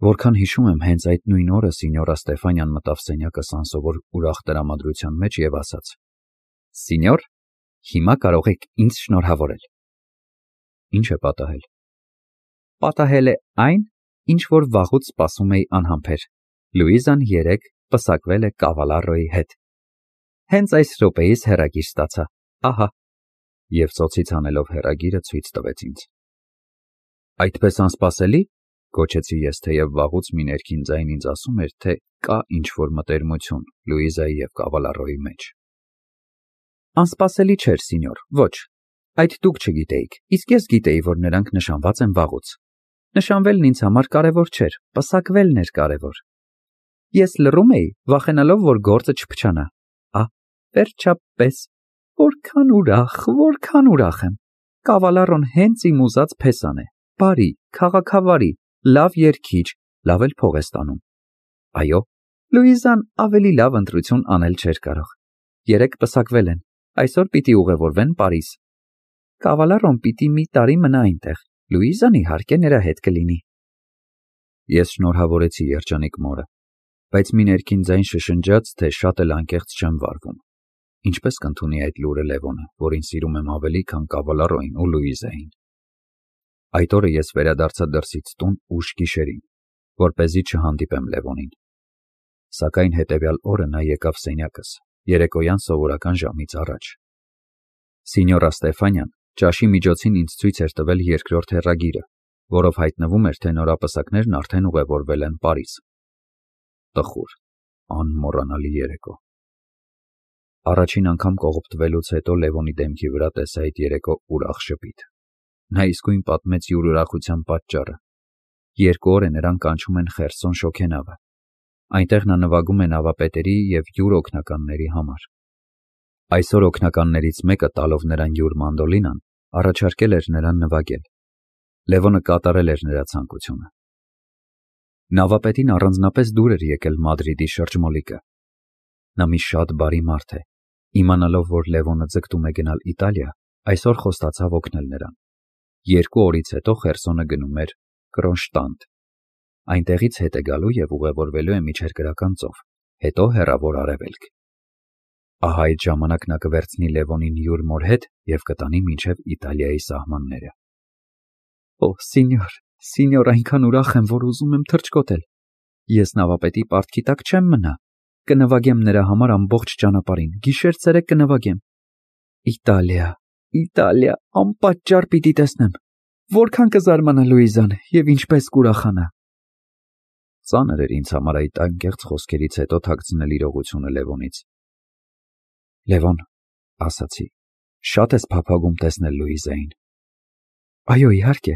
Որքան հիշում եմ, հենց այդ նույն օրը սինյորա Ստեֆանյան մտավ սենյակս անսովոր ուրախ տրամադրության մեջ և ասաց. «Սինյոր, հիմա կարող եք ինձ շնորհավորել»։ Ինչ է պատահել։ Պատահել է այն, ինչ որ վաղուց սպասում էի անհամբեր։ Լուիզան երեկ պսակվել է Կավալարոյի հետ։ Հենց այս րոպեիս հեռագիր ստացա, ահա։ Եվ ծոցից հանելով հեռագիրը ցույց տվեց ինձ։ Այդպես անսպասելի, գոչեցի ես, թեև վաղուց մի ներքին ձայն ինձ ասում էր, թե կա ինչ-որ մտերմություն Լուիզայի և Կավալարոյի մեջ։ Անսպասելի չէր, սինյոր, ոչ, այդ դուք չգիտեիք, իսկ ես գիտեի, որ նրանք նշանված են վաղուց։ Նշանվելն ինձ համար կարևոր չէր, պսակվելն էր կարևոր։ Ես լռում էի, վախենալով, որ գործը չփչանա։ Վերջապես, որքան ուրախ եմ։ Կավալարոն հենց իմ ուզած փեսան է, բարի, քաղաքավարի, լավ երգիչ, լավ էլ փող է ստանում։ Այո, Լուիզան ավելի լավ ընտրություն անել չէր կարող։ Երեկ պսակվել են, այսօր պիտի ուղևորվեն Պարիզ։ Կավալարոն պիտի մի տարի մնա այնտեղ, Լուիզան իհարկե նրա հետ կլինի։ Ես շնորհավորեցի երջանիկ մորը, բայց մի ներքին ձայն շշնջաց, թե շատ էլ անկեղծ չեմ վարվում։ Ինչպես կընդունի այդ լուրը Լևոնը, որին սիրում եմ ավելի, քան Կավալարոյին ու Լուիզային։ Այդ օրը ես վերադարձա դրսից տուն ուշ գիշերին, որպեսզի չհանդիպեմ Լևոնին։ Սակայն հետևյալ օրը նա եկավ սենյակս, երեկոյան սովորական ժամից առաջ։ Սինյորա Ստեֆանյան ճաշի միջոցին ինձ ցույց էր տվել երկրորդ հեռագիրը, որով հայտնվում էր, թե նորապսակներն արդեն ուղևորվել են Պարիզ։ Տխուր, անմոռանալի երեկո։ Առաջին անգամ կողոպտվելուց հետո Լևոնի դեմքի վրա տեսա այդ երեկո ուրախ շփիթ։ Նա իսկույն պատմեց յուր ուրախության պատճառը։ 2 օր է նրան կանչում են Խերսոն շոգենավը։ Այնտեղ նա նվագում է նավապետերի և յուր օգնականների համար։ Այսօր օգնականներից մեկը, տալով նրան յուր մանդոլինան, առաջարկել էր նրան նվագել։ Լևոնը կատարել էր նրա ցանկությունը։ Նավապետին առանձնապես դուր էր եկել Մադրիդի շրջմոլիկը։ Նա մի շատ բարի մարդ է։ Իմանալով, որ Լևոնը ձգտում է գնալ Իտալիա, այսօր խոստացավ օգնել նրան։ 2 օրից հետո Խերսոնը գնում էր Կրոնշտանտ։ Այնտեղից հետ է գալու և ուղևորվելու է մինչև Գրական ծով, հետո հեռավոր Արևելք։ Ահա այդ ժամանակ նա կվերցնի Լևոնին յուր մոր հետ և կտանի մինչև Իտալիայի սահմանները։ Օ, սինյոր, այնքան ուրախ եմ, որ ուզում եմ թռչկոտել։ Ես նավապետի պարտքի տակ չեմ մնա։ Կնվագեմ նրա համար ամբողջ ճանապարհին, գիշեր-ցերեկ կնվագեմ։ Իտալիա, անպատճառ պիտի տեսնեմ։ Որքան կզարմանա Լուիզան և ինչպես կուրախանա։ Ծանր էր ինձ համար այդ անկեղծ խոսքերից հետո թաքցնել իրողությունը Լևոնից։ Լևոն, ասացի, շատ ես փափագում տեսնել Լուիզային։ Այո, իհարկե։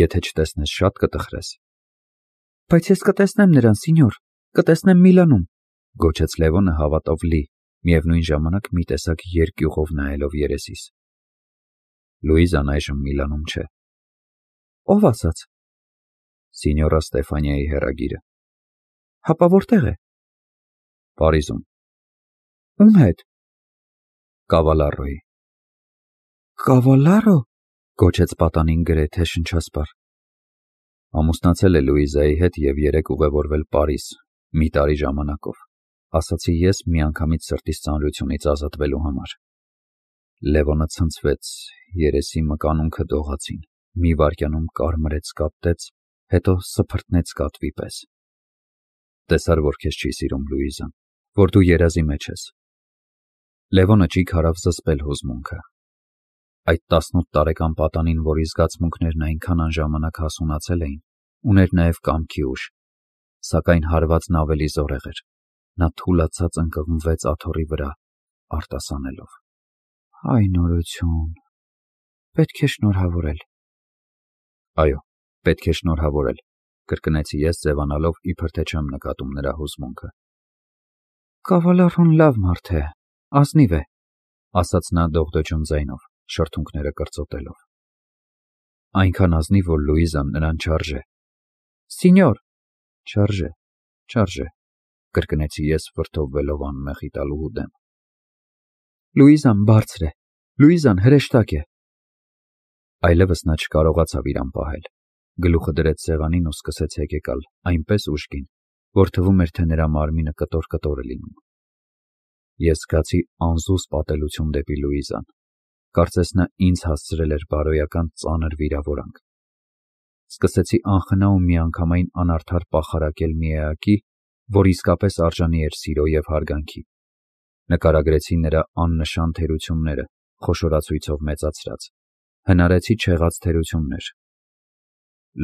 Եթե չտեսնես, շատ կտխրես։ Բայց ես կտեսնեմ նրան, սինյոր, կտեսնեմ Միլանում, գոչեց Լևոնը հավատով լի, միևնույն ժամանակ մի տեսակ երկյուղով նայելով երեսիս։ Լուիզան այժմ Միլանում չէ։ Ով ասաց։ Սինյորա Ստեֆանիայի հեռագիրը։ Հապա որտեղ է։ Պարիզում։ Ում հետ։ Կավալարոյի։ Կավալարո, գոչեց պատանին գրեթե շնչասպառ։ Ամուսնացել է Լուիզայի հետ և երեկ ուղևորվել Պարիզ, մի տարի ժամանակով, ասացի ես միանգամից սրտիս ծանրությունից ազատվելու համար։ Լևոնը ցնցվեց, երեսի մկանունքը դողացին, մի վայրկյանում կարմրեց, կապտեց, հետո սփռտնեց կատվի պես։ Տեսար, որ քեզ չի սիրում Լուիզան, որ դու երազի մեջ ես։ Լևոնը ճիգ հարավ զսպել հուզմունքը։ Այդ 18 տարեկան պատանին, որի զգացմունքներն այնքան անժամանակ հասունացել էին, ուներ նաև կամքի ուժ, սակայն հարվածն ավելի զորեղ էր։ Նա թուլացած ընկղմվեց աթոռի վրա, արտասանելով. Այ նորություն, պետք է շնորհավորել։ Այո, պետք է շնորհավորել, կրկնեցի ես, ձևանալով, իբր թե չեմ նկատում նրա հուզմունքը։ Կավալարոն լավ մարդ է, ազնիվ է, ասաց նա դողդոջուն ձայնով, շրթունքները կրծոտելով։ Այնքան ազնիվ, որ Լուիզան նրան չարժե։ Սինյոր, չարժե, կրկնեցի ես, վրդովվելով անմեղ իտալուհու դեմ։ Լուիզան բարձր է, Լուիզան հրեշտակ է։ Այլևս նա չկարողացավ իրան պահել։ Գլուխը դրեց սեղանին ու սկսեց հեկեկալ այնպես ուժգին, որ թվում էր, թե նրա մարմինը կտոր-կտոր է լինում։ Ես զգացի անզուս պատելություն դեպի Լուիզան։ Կարծես նա ինձ հասցրել էր բարոյական ծանր վիրավորանք։ Սկսեցի անխնա ու միանգամայն անարդար պախարակել մի էակի, որ իսկապես արժանի էր սիրո և հարգանքի։ Նկարագրեցի նրա աննշան թերությունները, խոշորացույցով մեծացրած, հնարեցի չեղած թերություններ։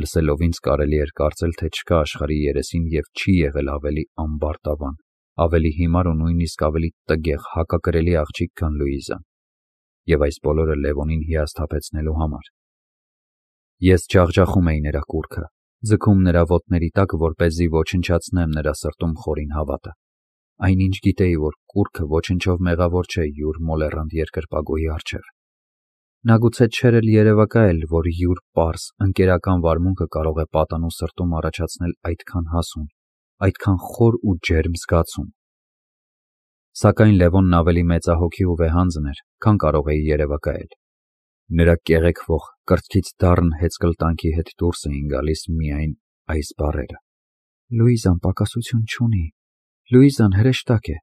Լսելով ինձ կարելի էր կարծել, թե չկա աշխարհի երեսին և չի եղել ավելի ամբարտավան, ավելի հիմար ու նույնիսկ ավելի տգեղ հակակրելի աղջիկ, քան Լուիզան, և այս բոլորը Լևոնին հիասթափեցնելու համար։ Ես ջախջախում էի նրա կուռքը, ձգում նրա ոտների տակ, որպեսզի ոչնչացնեմ նրա սրտում խորին հավատը, այնինչ գիտեի, որ կուռքը ոչնչով մեղավոր չէ յուր մոլեռանդ երկրպագուի առջև։ Նա գուցե չէր էլ երևակայել, որ յուր պարզ, ընկերական վարմունքը կարող է պատանու սրտում առաջացնել այդքան հասուն, այդքան խոր ու ջերմ զգացում։ Սակայն Լևոնն ավելի մեծահոգի ու վեհանձն էր, քան կարող էի երևակայել։ Նրա կեղեքվող, կրծքից դառն հեծկլտանքի հետ դուրս էին գալիս միայն այս բառերը. «Լուիզան պակասություն չունի, Լուիզան հրեշտակ է»։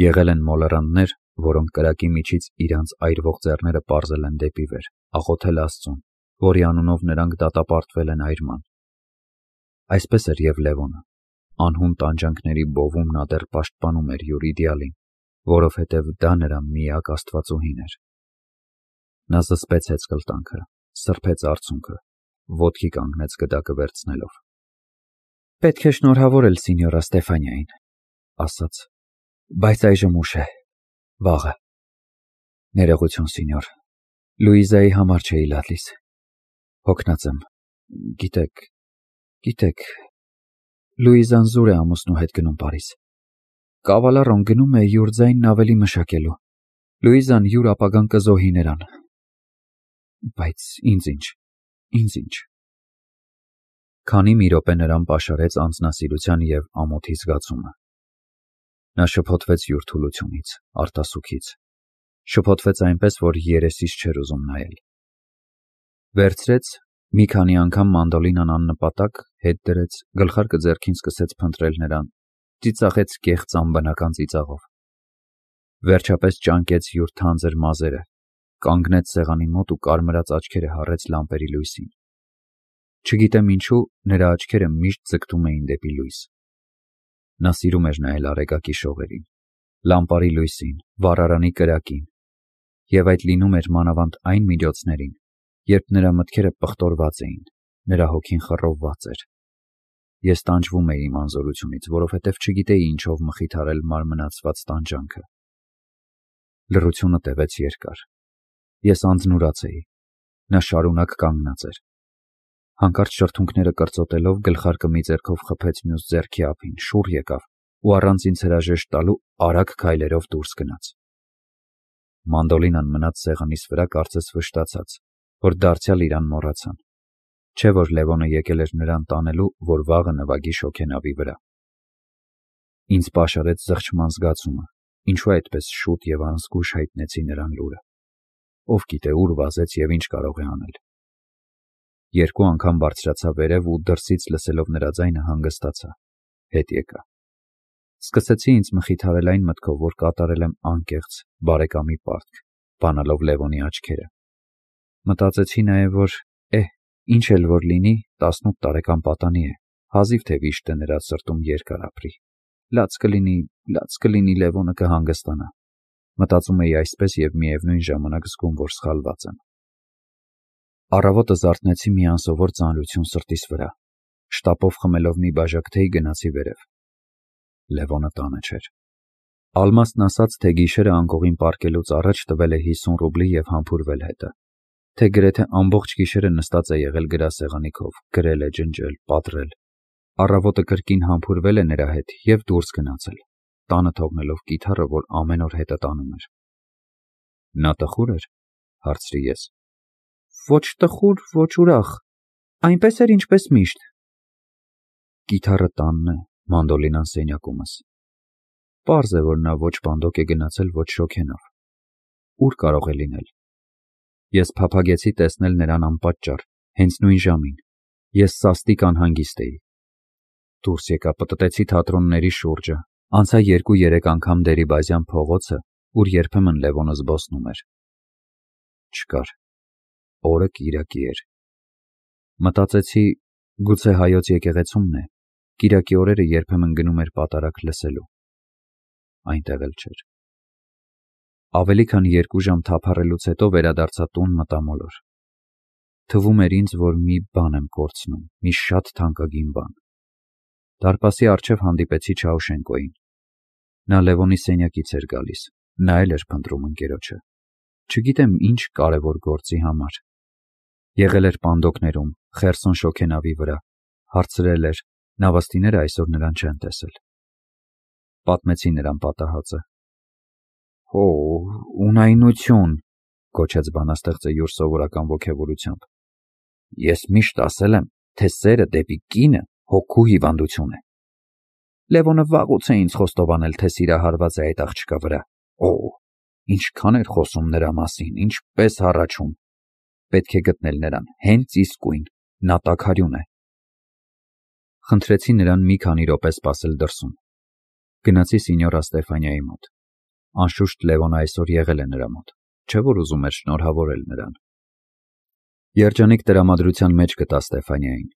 Եղել են մոլեռանդներ, որոնք կրակի միջից իրանց այրվող ձեռները պարզել են դեպի վեր, աղոթել Աստծուն, որի անունով նրանք դատապարտվել են այրման։ Այսպես էր և Լևոնը։ Անհուն տանջանքների բովում նա դեռ պաշտպանում էր յուր իդեալին, որովհետև դա նրա միակ աստվածուհին էր։ Նա զսպեց հեծկլտանքը, սրբեց արցունքը, ոտքի կանգնեց գդակը վերցնելով։ «Պետք է շնորհավորել սինյորա Ստեֆանիային», ասաց, «բայց այժմ ուշ է, վաղը։ Ներողություն, սինյոր, Լուիզայի համար չէի լալիս։ Հոգնած եմ, գիտեք, Լուիզան զուր է ամուսնու հետ գնում Փարիզ։ Կավալառոն գնում է յուր ձայնն ավելի մշակելու, Լուիզան յուր ապագան կզոհի նրան։ Բայց ինձ ինչ։ Քանի մի րոպե նրան պաշարեց անձնասիրության և ամոթի զգացումը։ Նա շփոթվեց յուր թուլությունից, արտասուքից, շփոթվեց այնպես, որ երեսից չէր ուզում նայել։ Վերցրեց, մի քանի անգամ մանդոլինան աննպատակ հետ դրեց, գլխարկը ձեռքին սկսեց փնտրել նրան, ծիծաղեց կեղծ անբնական ծիծաղով։ Վերջապես ճանկեց յուր թանձր մազերը, կանգնեց սեղանի մոտ ու կարմրած աչքերը հառեց լամպերի լույսին։ Չգիտեմ ինչու, նրա աչքերը միշտ ձգտում էին դեպի լույս։ Նա սիրում էր նայել արեգակի շողերին, լամպարի լույսին, վառարանի կրակին, և այդ լինում էր մանավանդ այն միջոցներին, երբ նրա մտքերը պղտորված էին, նրա հոգին խռովված էր։ Ես տանջվում էի իմ անզորությունից, որովհետև չգիտեի ինչով մխիթարել մարմնացված տանջանքը։ Լռությունը տևեց երկար։ Ես անձնուրաց էի։ Նա շարունակ կանգնած էր։ Հանկարծ շրթունքները կրծոտելով գլխարկը մի ձեռքով խփեց մյուս ձեռքի ափին, շուռ եկավ ու առանց ինձ հրաժեշտ տալու արագ քայլերով դուրս գնաց։ Մանդոլինան մնաց սեղանիս վրա կարծես վշտացած, որ դարձյալ իրան մոռացան։ Չէ՞ որ Լևոնը եկել էր նրան տանելու, որ վաղը նվագի շոգենավի վրա։ Ինձ պաշարեց զղջման զգացումը, ինչու այդպես շուտ և անզգույշ հայտնեցի նրան լուրը։ Ով գիտե ուր վազեց և ինչ կարող է անել։ Երկու անգամ բարձրացա վերև ու դրսից լսելով նրա ձայնը հանգստացա, հետ եկա։ Սկսեցի ինձ մխիթարել այն մտքով, որ կատարել եմ անկեղծ, բարեկամի պարտք, բանալով Լևոնի աչքերը։ Մտածեցի նաև, որ ինչ էլ որ լինի, 18 տարեկան պատանի է, հազիվ թե վիշտը նրա սրտում երկար ապրի։ Լաց կլինի Լևոնը կհանգստանա։ Մտածում էի այսպես և միևնույն ժամանակ զգում, որ սխալված եմ։ Առավոտը զարթնեցի մի անսովոր ծանրություն սրտիս վրա, շտապով խմելով մի բաժակ թեյ գնացի վերև։ Լևոնը տանը չէր։ Ալմաստն ասաց, թե գիշերը անկողին պառկելուց առաջ տվել է 50 ռուբլի և համբուրվել հետը, թե գրեթե ամբողջ գիշերը նստած է եղել գրասեղանի քով, գրել է, ջնջել, պատռել։ Առավոտը կրկին համբուրվել է նրա հետ և դուրս գնացել, տանը թողնելով կիթառը, որ ամեն օր հետը տանում էր։ Նա տխուր էր, հարցրի ես։ Ոչ տխուր, ոչ ուրախ, այնպես էր, ինչպես միշտ։ Կիթառը տանն է, մանդոլինան սենյակումս։ Պարզ է, որ նա ոչ բանդոկ է գնացել, ոչ շոգենավ։ Ուր կարող է լինել։ Ես փափագեցի տեսնել նրան անպատճառ, Հենց նույն ժամին ես սաստիկ անհանգիստ էի։ Դուրս եկա, պտտեցի թատրոնների շուրջը, անցա 2-3 անգամ Դերիբազյան փողոցը, ուր երբեմն Լևոնը զբոսնում էր։ Չկար։ Օրը կիրակի էր։ Մտածեցի, գուցե հայոց եկեղեցումն է, կիրակի օրերը երբեմն գնում էր պատարագ լսելու։ Այնտեղ էլ չէր։ Ավելի քան 2 ժամ թափառելուց հետո վերադարձա տուն մտամոլոր։ Թվում էր ինձ, որ մի բան եմ կորցնում, մի շատ թանկագին բան։ Դարպասի առջև հանդիպեցի Չաուշենկոյին։ Նա Լևոնի սենյակից էր գալիս, նա էլ էր փնտրում ընկերոջը։ Չգիտեմ ինչ կարևոր գործի համար։ Եղել էր պանդոկներում, Խերսոն շոգենավի վրա, հարցրել էր, նավաստիները այսօր նրան չեն տեսել։ Պատմեցի նրան պատահածը։ «Հո, ունայնություն», գոչեց բանաստեղծը յուր սովորական ոգևորությամբ։ «Ես միշտ ասել եմ, թե սերը դեպի կինը հոգու հիվանդություն է։ Լևոնը վաղուց է ինձ խոստովանել, թե սիրահարված է այդ աղջկա վրա։ Օ, ինչքան էր խոսում նրա մասին, ինչպես հառաչում։ Պետք է գտնել նրան, հենց իսկույն, նա տաքարյուն է»։ Խնդրեցի նրան մի քանի րոպե սպասել դրսում։ Գնացի Սինյորա Ստեֆանիայի մոտ։ Անշուշտ Լևոնը այսօր եղել է նրա մոտ, չէ՞ որ ուզում էր շնորհավորել նրան։ Երջանիկ տրամադրության մեջ գտա Ստեֆանիային։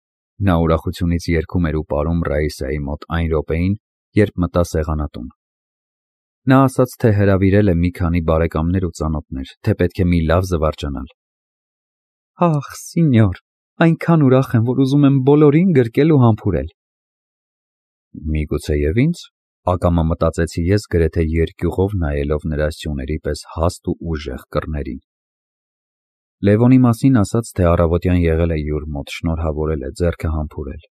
Նա ուրախությունից երգում էր ու պարում Ռաիսայի մոտ այն րոպեին, երբ մտա սեղանատուն։ Նա ասաց, թե հրավիրել է մի քանի բարեկամներ ու ծանոթներ, թե պետք է մի լավ զվարճանալ։ Ախ, սինյոր, այնքան ուրախ եմ, որ ուզում եմ բոլորին գրկել ու համբուրել։ Միգուցե և ինձ, ակամա մտածեցի ես, գրեթե երկյուղով նայելով նրա սյուների պես հաստ ու ուժեղ կռներին։ Լևոնի մասին ասաց, թե առավոտյան եղել է յուր մոտ, շնորհավորել է, ձեռքը համբուրել։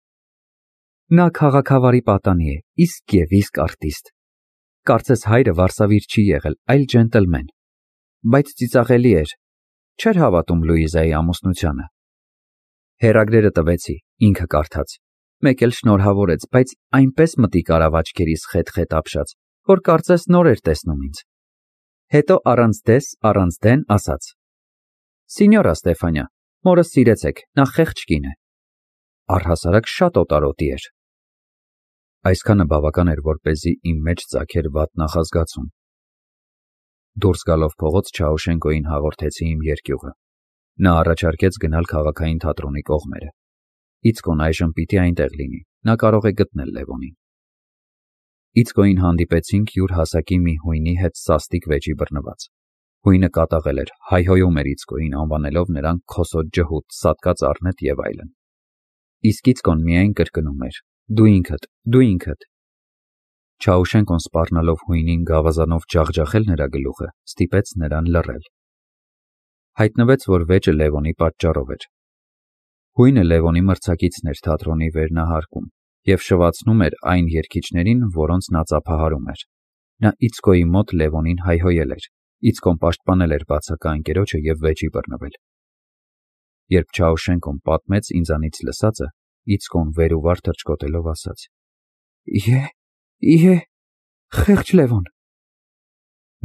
Նա քաղաքավարի պատանի է, իսկ և իսկ արտիստ։ Կարծես հայրը վարսավիր չի եղել, այլ ջենտլմեն։ Բայց ծիծաղելի էր, չէր հավատում Լուիզայի ամուսնությանը։ Հեռագրերը տվեցի, ինքը կարդաց։ Մեկ էլ շնորհավորեց, բայց այնպես մտիկ արավ աչքերիս խետ-խետ ապշած, որ կարծես նոր էր տեսնում ինձ։ Հետո առանց դես, առանց դեն ասաց. Սինյորա Ստեֆանիա, մորս սիրեցեք, նա խեղճ կին է։ Առհասարակ շատ օտարոտի էր։ Այսքանը բավական էր, որպեսզի իմ մեջ ծագեր վատ նախազգացում։ Դուրս գալով փողոց Չաուշենկոյին հաղորդեցի իմ երկյուղը։ Նա առաջարկեց գնալ քաղաքային թատրոնի կողմերը։ Իցկոն այժմ պիտի այնտեղ լինի, նա կարող է գտնել Լևոնին։ Իցկոյին հանդիպեցինք յուր հասակի մի հույնի հետ սաստիկ վեճի բռնված։ Հույնը կատաղել էր, հայհոյում էր Իցկոյին, անվանելով նրան քոսոտ ջհուդ, սատկած առնետ եւ այլն։ Իսկ Իցկոն միայն կրկնում էր. Դու ինքդ, դու ինքդ։ Չաուշենկոն սպառնալով հույնին գավազանով ջախջախել նրա գլուխը, ստիպեց նրան լռել։ Հայտնվեց, որ վեճը Լևոնի պատճառով էր։ Հույնը Լևոնի մրցակիցն էր թատրոնի վերնահարկում եւ շվացնում էր այն երգիչներին, որոնց նա ծափահարում էր։ Նա Իցկոյի մոտ Լևոնին հայհոյել էր։ Իցկոն պաշտպանել էր բացակա ընկերոջը եւ վեճի բռնվել։ Երբ Չաուշենկոն պատմեց ինձանից լսածը, Իցկոն վեր ու վար թռչկոտելով ասաց. Իհե, խեղճ Լևոն։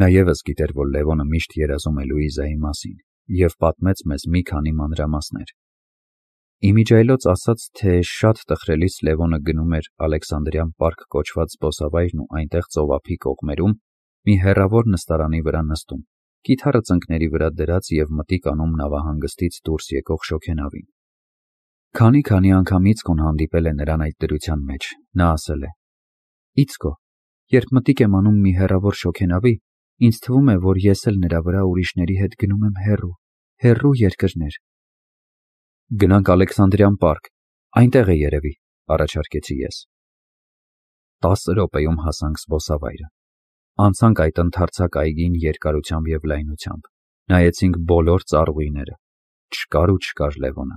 Նա ևս գիտեր, որ Լևոնը միշտ երազում է Լուիզայի մասին եւ պատմեց մեզ մի քանի մանրամասներ։ Իմիջայլոց ասաց, թե շատ տխրելիս Լևոնը գնում էր Ալեքսանդրյան պարկ կոչված զբոսավայրն ու այնտեղ ծովափի կողմերում մի հեռավոր նստարանի վրա նստում, կիթառը ծնկների վրա դրած եւ մտիկ անում նավահանգստից դուրս եկող շոգենավին։ Քանի անգամ Իցկոն հանդիպել է նրան այդ դրության մեջ, նա ասել է. Իցկո, երբ մտիկ եմ անում մի հեռավոր շոգենավի, ինձ թվում է, որ ես էլ նրա վրա ուրիշների հետ գնում եմ հեռու երկրներ։ Գնանք Ալեքսանդրյան պարկ, այնտեղ է երևի, առաջարկեցի ես։ 10 րոպեում հասանք զբոսավայրը։ Անցանք այդ ընդարձակ այգին երկարությամբ եւ լայնությամբ։ Նայեցինք բոլոր ծառուիները։ Չկար Լևոնը։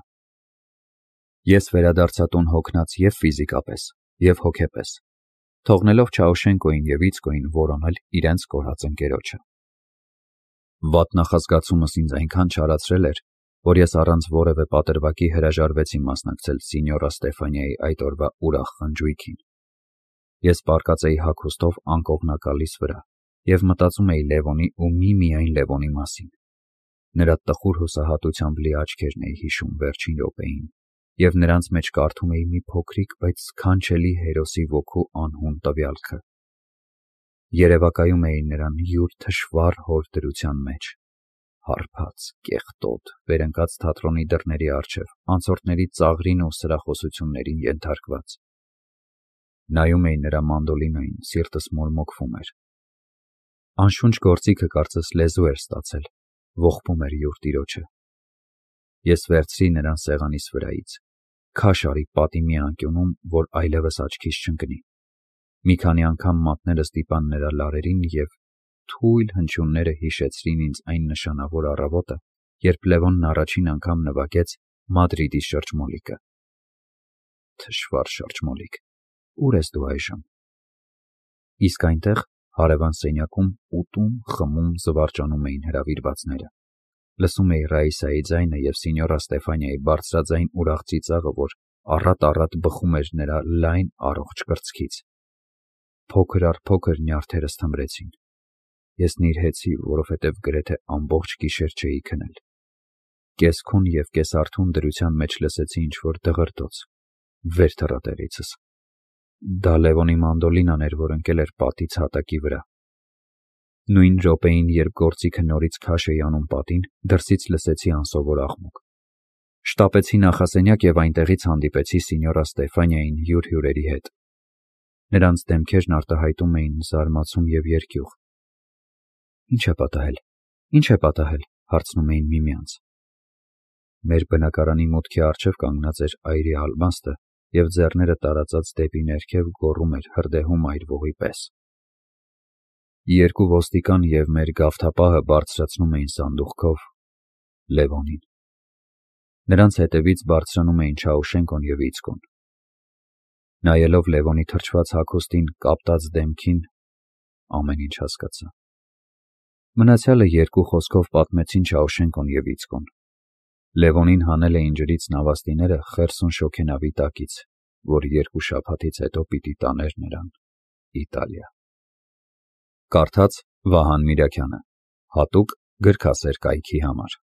Ես վերադարձա տուն հոգնած եւ ֆիզիկապես, եւ հոգեպես, թողնելով Չաուշենկոյին եւ Իցկոյին որոնել իրենց կորած ընկերոջը։ Վատ նախազգացումս ինձ այնքան չարացրել էր, որ ես առանց որևէ պատրվակի հրաժարվեցի մասնակցել Սինյորա Ստեֆանիայի այդ օրվա ուրախ խնջույքին։ Ես պառկած էի հագուստով անկողնակալիս վրա եւ մտածում էի Լևոնի ու միայն Լևոնի մասին։ Նրա տխուր հուսահատությամբ լի աչքերն էի հիշում վերջին րոպեին, և նրանց մեջ կարդում էի մի փոքրիկ, բայց սքանչելի հերոսի ոգու անհուն տվյալքը։ Երևակայում էի նրան յուր թշվառ հոր դրության մեջ, հարբած, կեղտոտ, վերընկած թատրոնի դռների առջև, անցորդների ծաղրին ու սրախոսություններին ենթարկված։ Նայում էի նրա մանդոլինոյին, սիրտս մորմոքվում էր։ Անշունչ գործիքը կարծես լեզու էր ստացել, ողբում էր յուր տիրոջը։ Ես վերցրի նրան սեղանիս վրայից, քաշ արի պատի մի անկյունում, որ այլևս աչքիս չընկնի։ Մի քանի անգամ մատները ստիպան նրա լարերին և թույլ հնչյունները հիշեցրին ինձ այն նշանավոր առավոտը, երբ Լևոնն առաջին անգամ նվագեց Մադրիդի շրջմոլիկը։ Թշվառ շրջմոլիկ, ուր ես դու այժմ։ Իսկ այնտեղ, հարևան սենյակում, ուտում, խմում, զվարճանում էին հրավիրվածները։ Լսում էի Ռաիսայի ձայնը և սինյորա Ստեֆանիայի բարձրաձայն ուրախ ծիծաղը, որ առատ բխում էր նրա լայն առողջ կրծքից։ Փոքր առ փոքր նյարդերս թմրեցին։ Ես նիրհեցի, որովհետև գրեթե ամբողջ գիշեր չէի քնել։ Կես-քուն և կես-արթուն դրության մեջ լսեցի ինչ-որ դղրդոց։ Վեր թռա տեղիցս։ Դա Լևոնի մանդոլինան էր, որ ընկել էր պատից հատակի վրա։ Նույն րոպեին, երբ գործիքը նորից քաշ էի անում պատին, դրսից լսեցի անսովոր աղմուկ։ Շտապեցի նախասենյակ և այնտեղից հանդիպեցի սինյորա Ստեֆանիային յուր հյուրերի հետ։ Նրանց դեմքերն արտահայտում էին զարմացում և երկյուղ։ Ինչ է պատահել, հարցնում էին միմյանց։ Մեր բնակարանի մուտքի առջև կանգնած էր այրի Ալմաստը և ձեռները տարածած դեպի ներքև գոռում էր հրդեհում այրվողի պես։ Երկու ոստիկան և մեր գավթապահը բարձրացնում էին սանդուղքով Լևոնին։ Նրանց հետևից բարձրանում էին Չաուշենկոն և Իցկոն։ Նայելով Լևոնի թրջված հագուստին, կապտած դեմքին, ամեն ինչ հասկացա։ Մնացյալը երկու խոսքով պատմեցին Չաուշենկոն և Իցկոն։ Լևոնին հանել էին ջրից նավաստիները Խերսոն շոգենավի տակից, որ 2 շաբաթից հետո պիտի տաներ նրան Իտալիա։ Կարդաց Վահան Միրաքյանը, հատուկ գրքասեր կայքի համար։